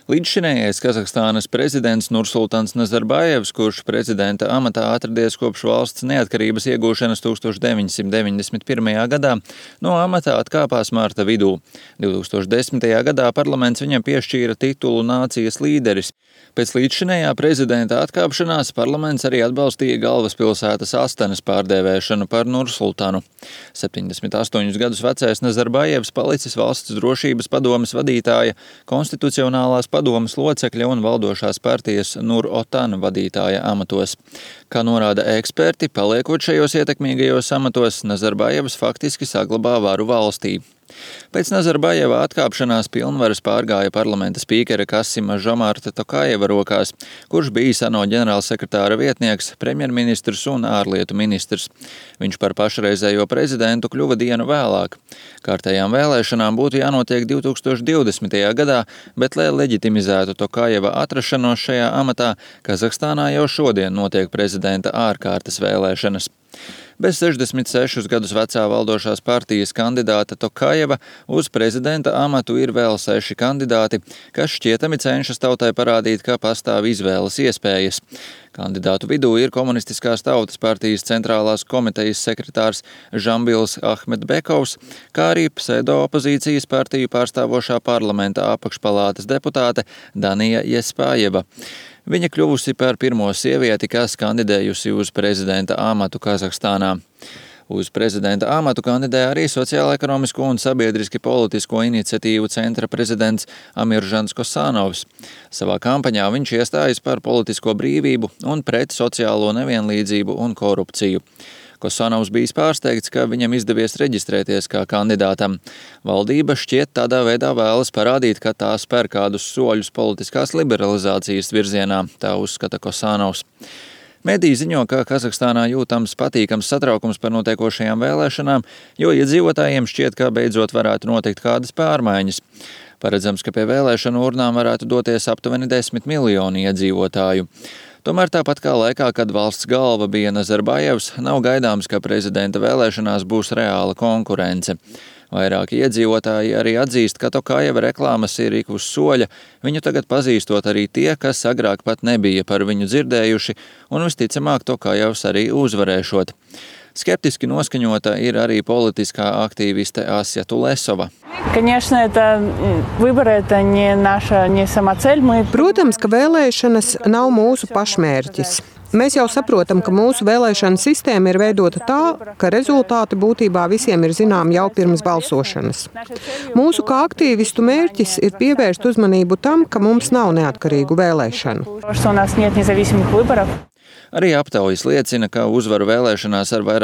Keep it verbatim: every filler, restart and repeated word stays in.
Līdzšinējais Kazahstānas prezidents Nursultans Nazarbājevs, kurš prezidenta amatā atradies kopš valsts neatkarības iegūšanas tūkstoš deviņsimt deviņdesmit pirmajā gadā, no amatā atkāpās marta vidū. divtūkstoš desmitajā gadā parlaments viņam piešķīra titulu nācijas līderis. Pēc līdzšinējā prezidenta atkāpšanās parlaments arī atbalstīja galvaspilsētas Astanas pārdēvēšanu par Nursultanu. septiņdesmit astoņus gadus vecais Nazarbājevs palicis valsts drošības padomes vadītāja, konstitucionālās padomes locekļa un valdošās partijas Nur Otan vadītāja amatos. Kā norāda eksperti, paliekot šajos ietekmīgajos amatos, Nazarbājevs faktiski saglabā varu valstī. Pēc Nazarbājeva atkāpšanās pilnvaras pārgāja parlamenta spīkera Kasima Žomarta Tokājeva rokās, kurš bija ANO ģenerālsekretāra vietnieks, premjerministrs un ārlietu ministrs. Viņš par pašreizējo prezidentu kļuva dienu vēlāk. Kārtējām vēlēšanām būtu jānotiek divtūkstoš divdesmitajā gadā, bet, lai leģitimizētu Tokājeva atrašanos šajā amatā, Kazahstānā jau šodien notiek prezidenta ārkārtas vēlēšanas. Bez sešdesmit sešus gadus vecā valdošās partijas kandidāta Tokājeva uz prezidenta amatu ir vēl seši kandidāti, kas šķietami cenšas tautai parādīt, ka pastāv izvēles iespējas. Kandidātu vidū ir Komunistiskās tautas partijas centrālās komitejas sekretārs Žambils Ahmedbekovs, kā arī pseido-opozīcijas partiju pārstāvošā parlamenta apakšpalātas deputāte Danija Jespājeva. Viņa kļuvusi par pirmo sievieti, kas kandidējusi uz prezidenta amatu Kazahstānā. Uz prezidenta amatu kandidē arī sociālo-ekonomisko un sabiedriski politisko iniciatīvu centra prezidents Amiržans Kosanovs. Savā kampaņā viņš iestājas par politisko brīvību un pret sociālo nevienlīdzību un korupciju. Kosanovs bijis pārsteigts, ka viņam izdevies reģistrēties kā kandidātam. Valdība šķiet tādā veidā vēlas parādīt, ka tā spēr kādus soļus politiskās liberalizācijas virzienā, tā uzskata Kosanovs. Mediji ziņo, ka Kazahstānā jūtams patīkams satraukums par notiekošajām vēlēšanām, jo iedzīvotājiem šķiet, ka beidzot varētu notikt kādas pārmaiņas. Paredzams, ka pie vēlēšanu urnām varētu doties aptuveni desmit miljoni iedzīvotāju. Tomēr tāpat kā laikā, kad valsts galva bija Nazarbājevs, nav gaidāms, ka prezidenta vēlēšanās būs reāla konkurence. Vairāki iedzīvotāji arī atzīst, ka Tokājeva reklāmas ir ik uz soļa, viņu tagad pazīstot arī tie, kas agrāk pat nebija par viņu dzirdējuši, un visticamāk Tokājevs arī uzvarēšot. Skeptiski noskaņota ir arī politiskā aktīviste Asja Tulesova. Protams, ka vēlēšanas nav mūsu pašmērķis. Mēs jau saprotam, ka mūsu vēlēšana sistēma ir veidota tā, ka rezultāti būtībā visiem ir zinām jau pirms balsošanas. Mūsu kā aktīvistu mērķis ir pievērst uzmanību tam, ka mums nav neatkarīgu vēlēšanu. Arī aptaujas liecina, ka uzvaru vēlēšanās ar vairāk